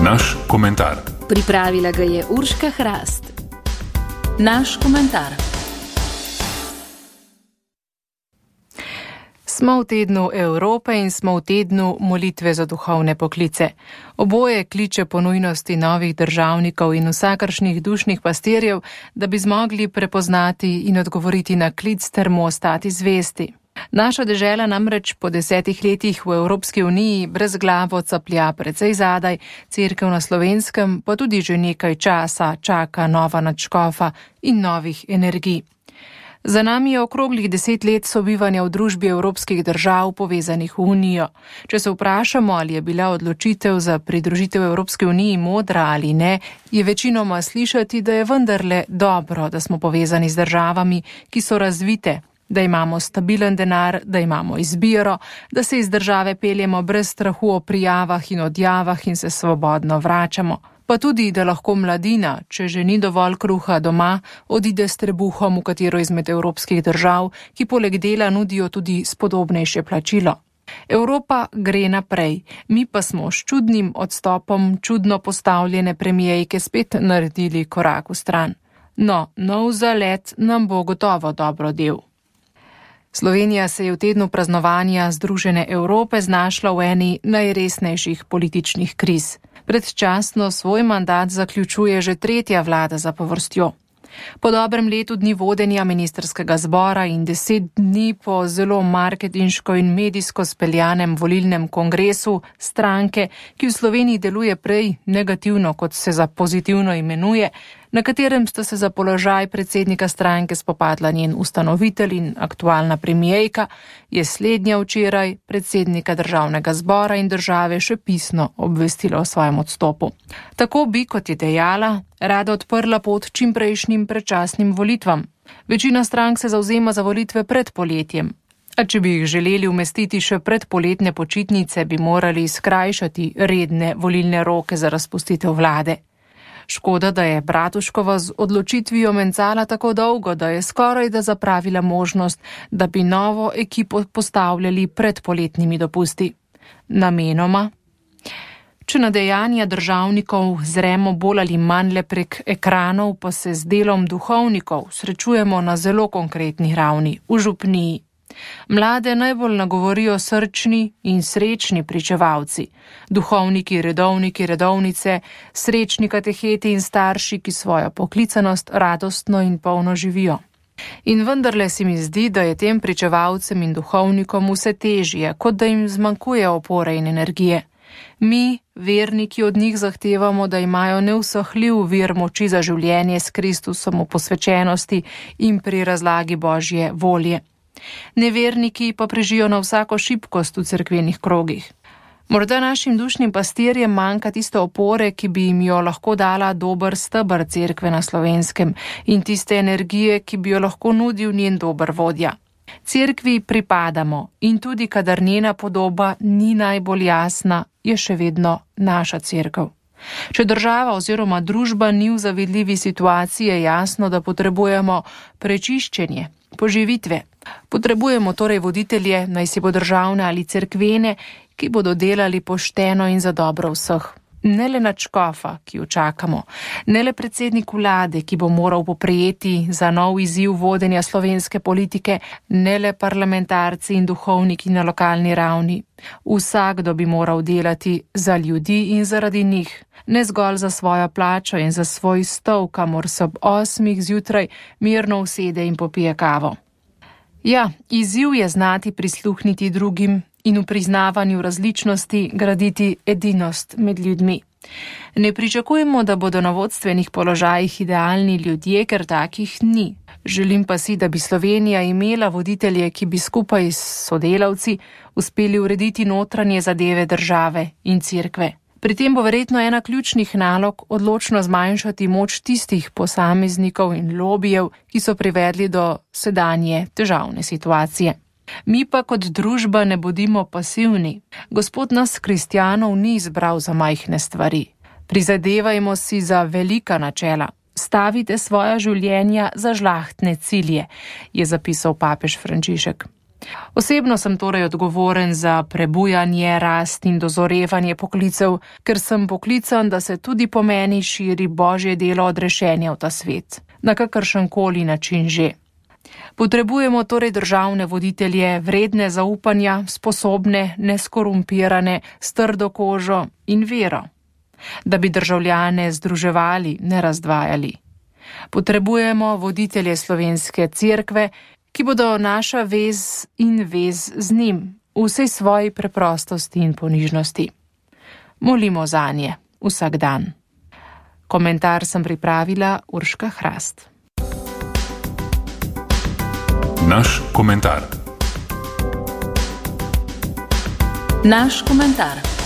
Naš komentar. Pripravila ga je Urška Hrast. Naš komentar. Smo v tednu Evrope in smo v tednu molitve za duhovne poklice. Oboje kliče po nujnosti novih državnikov in vsakršnih dušnih pastirjev, da bi zmogli prepoznati in odgovoriti na klic ter mu ostati zvesti. Naša dežela namreč po 10 letih v Evropski uniji brezglavo caplja precej zadaj, Cerkev na Slovenskem pa tudi že nekaj časa čaka nova nadškofa in novih energij. Za nami je okroglih 10 let sobivanja v družbi evropskih držav povezanih v Unijo. Če se vprašamo, ali je bila odločitev za pridružitev Evropske uniji modra ali ne, je večinoma slišati, da je vendarle dobro, da smo povezani z državami, ki so razvite, da imamo stabilen denar, da imamo izbiro, da se iz države peljemo brez strahu o prijavah in odjavah in se svobodno vračamo. Pa tudi, da lahko mladina, če že ni dovolj kruha doma, odide s trebuhom v katero izmed evropskih držav, ki poleg dela nudijo tudi spodobnejše plačilo. Evropa gre naprej, mi pa smo s čudnim odstopom čudno postavljene premijejke spet naredili korak v stran. No, nov zalet nam bo gotovo dobro del. Slovenija se je v tednu praznovanja Združene Evrope znašla v eni najresnejših političnih kriz. Predčasno svoj mandat zaključuje že 3. vlada zapovrstjo. Po dobrem letu dni vodenja ministrskega zbora in 10 dni po zelo marketinško in medijsko speljanem volilnem kongresu stranke, ki v Sloveniji deluje prej negativno, kot se za pozitivno imenuje, na katerem sta se za položaj predsednika stranke spopadla njen ustanovitelj in aktualna premijejka, je slednja včeraj predsednika državnega zbora in države še pisno obvestila o svojem odstopu. Tako bi, kot je dejala, rada odprla pot čimprejšnjim predčasnim volitvam. Večina strank se zavzema za volitve pred poletjem. A če bi jih želeli umestiti še pred poletne počitnice, bi morali skrajšati redne volilne roke za razpustitev vlade. Škoda, da je Bratuškova z odločitvijo mencala tako dolgo, da je skoraj da zapravila možnost, da bi novo ekipo postavljali pred poletnimi dopusti. Namenoma? Če na dejanja državnikov zremo bolj ali manj le prek ekranov, pa se z delom duhovnikov srečujemo na zelo konkretni ravni, v župniji. Mlade najbolj nagovorijo srčni in srečni pričevalci, duhovniki, redovniki, redovnice, srečni kateheti in starši, ki svojo poklicanost radostno in polno živijo. In vendarle se mi zdi, da je tem pričevalcem in duhovnikom vse težje, kot da jim zmanjkuje opore in energije. Mi, verniki, od njih zahtevamo, da imajo neusahljiv vir moči za življenje s Kristusom v posvečenosti in pri razlagi Božje volje. Neverniki pa prežijo na vsako šibkost v cerkvenih krogih. Morda našim dušnim pastirjem manjka tiste opore, ki bi jim jo lahko dala dober steber cerkve na Slovenskem in tiste energije, ki bi jo lahko nudil njen dober vodja. Cerkvi pripadamo in tudi kadar njena podoba ni najbolj jasna, je še vedno naša cerkev. Če država oziroma družba ni v zavidljivi situaciji, je jasno, da potrebujemo prečiščenje, poživitve. Potrebujemo torej voditelje, naj si bo državne ali cerkvene, ki bodo delali pošteno in za dobro vseh. Ne le nadškofa, ki jo čakamo, ne le predsednik vlade, ki bo moral poprijeti za nov izziv vodenja slovenske politike, ne le parlamentarci in duhovniki na lokalni ravni. Vsakdo bi moral delati za ljudi in zaradi njih, ne zgolj za svojo plačo in za svoj stol, kamor se ob 8 zjutraj mirno usede in popije kavo. Ja, izziv je znati prisluhniti drugim in v priznavanju različnosti graditi edinost med ljudmi. Ne pričakujemo, da bodo na vodstvenih položajih idealni ljudje, ker takih ni. Želim pa si, da bi Slovenija imela voditelje, ki bi skupaj s sodelavci uspeli urediti notranje zadeve države in cerkve. Pri tem bo verjetno ena ključnih nalog odločno zmanjšati moč tistih posameznikov in lobijev, ki so privedli do sedanje težavne situacije. Mi pa kot družba ne bodimo pasivni. Gospod nas, kristjanov, ni izbral za majhne stvari. Prizadevajmo si za velika načela. Stavite svoja življenja za žlahtne cilje, je zapisal papež Frančišek. Osebno sem torej odgovoren za prebujanje, rast in dozorevanje poklicev, ker sem poklican, da se tudi po meni širi Božje delo odrešenja v ta svet, na kakršenkoli način že. Potrebujemo torej državne voditelje, vredne zaupanja, sposobne, neskorumpirane, s trdo kožo in vero, da bi državljane združevali, ne razdvajali. Potrebujemo voditelje slovenske cerkve, ki bodo naša vez in vez z njim, v vsej svoji preprostosti in ponižnosti. Molimo zanje vsak dan. Komentar sem pripravila Urška Hrast. Naš komentar. Naš komentar.